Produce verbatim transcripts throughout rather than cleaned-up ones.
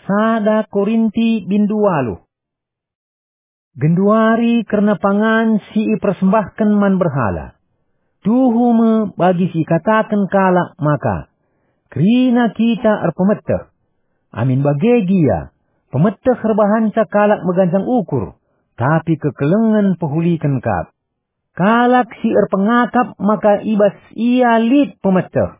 Sada Korinti bindu waluh. Genduari kerna pangan si ipersembahken man berhala. Tuhu me bagi si ikataken kalak maka, "Kerina kita erpemeteh." Amin bage gia, pemeteh erbahanca kalak meganjang ukur, tapi kekelengen pehuliken kap. Kalak si erpengakap maka i bas ia lit pemeteh.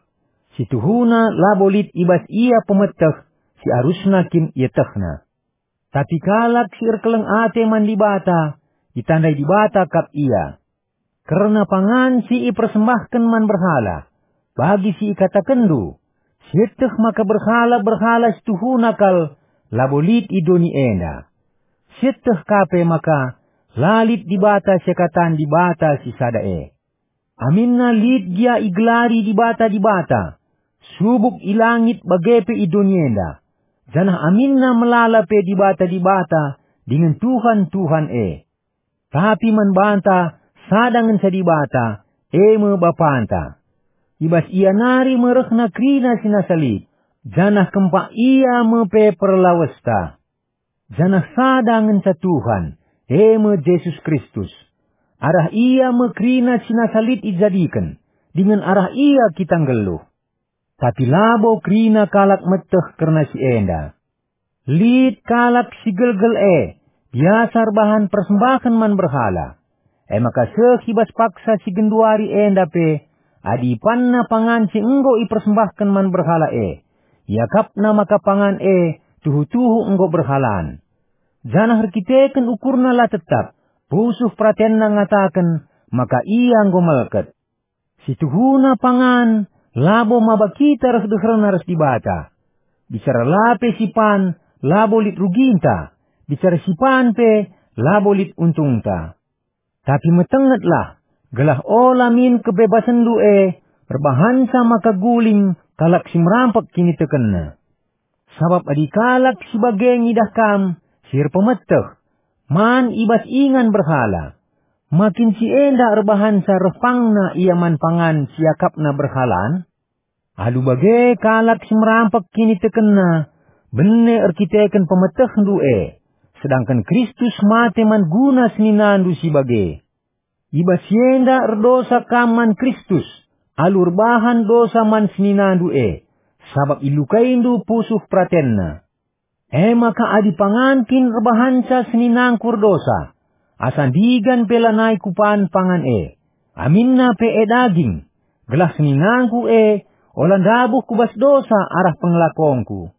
Si tuhuna labo lit i bas ia pemeteh si arusna kin ietehna. Tapi kalak si erkeleng ate man Dibata, itandai Dibata kap ia. Kerna pangan si ipersembahken man berhala, bagi si ikatakenndu, sieteh maka berhala-berhala si tuhuna kal labo lit i doni enda. Sieteh ka pe maka la lit Dibata seakatan Dibata si sada e. Aminna lit gia igelari dibata-dibata, subuk i langit bage pe i doni enda, janah aminna melala pe dibata-dibata dingen tuhan-tuhan e. Tapi man banta sada ngenca Dibata, e me Bapanta. I bas Ia nari me rehna kerina si nasa lit, janah kempak Ia me pe perlawesta. Janah sada ngenca Tuhan, e me Jesus Kristus. Arah Ia me kerina si nasa lit ijadiken, dingen arah Ia kita nggeluh. Tapi labo kerina kalak meteh kerna si enda. Lit kalak si gelgel e, biasa erbahan persembahen man berhala. E maka seh i bas paksa si genduari enda pe, adi ipanna pangan si enggo ipersembahken man berhala e, iakapna maka pangan e tuhu-tuhu enggo berhalan. Janah erkiteken ukurna la tetap, pusuh peratenna ngataken maka ia enggo melket. Si tuhuna pangan labo maba kita ras deherna ras Dibata. Bicara la pe sipan labo lit ruginta, bicara sipan pe labo lit untungta. Tapi metengetlah, gelah ola min kebebasenndu e erbahanca maka guling kalak si merampek kinitekenna. Sabap adi kalak si bage ngidah kam si erpemeteh, man i bas ingan berhala, ma kin si enda erbahanca reh pangna ia man pangan si iakapna berhalan? Alu bage kalak si merampek kinitekenna, bene erkiteken pemetehndu e, sedangken Kristus mate man guna seninandu si bage. I bas si enda erdosa kam man Kristus, alu erbahan dosa man seninandu e, sabap ilukaindu pusuh peratenna. E maka adi pangan kin erbahanca seninangku erdosa, asa ndigan pe lanai kupan pangan e, aminna pe e daging, gelah seninangku e ola ndabuh ku bas dosa arah pengelakongku.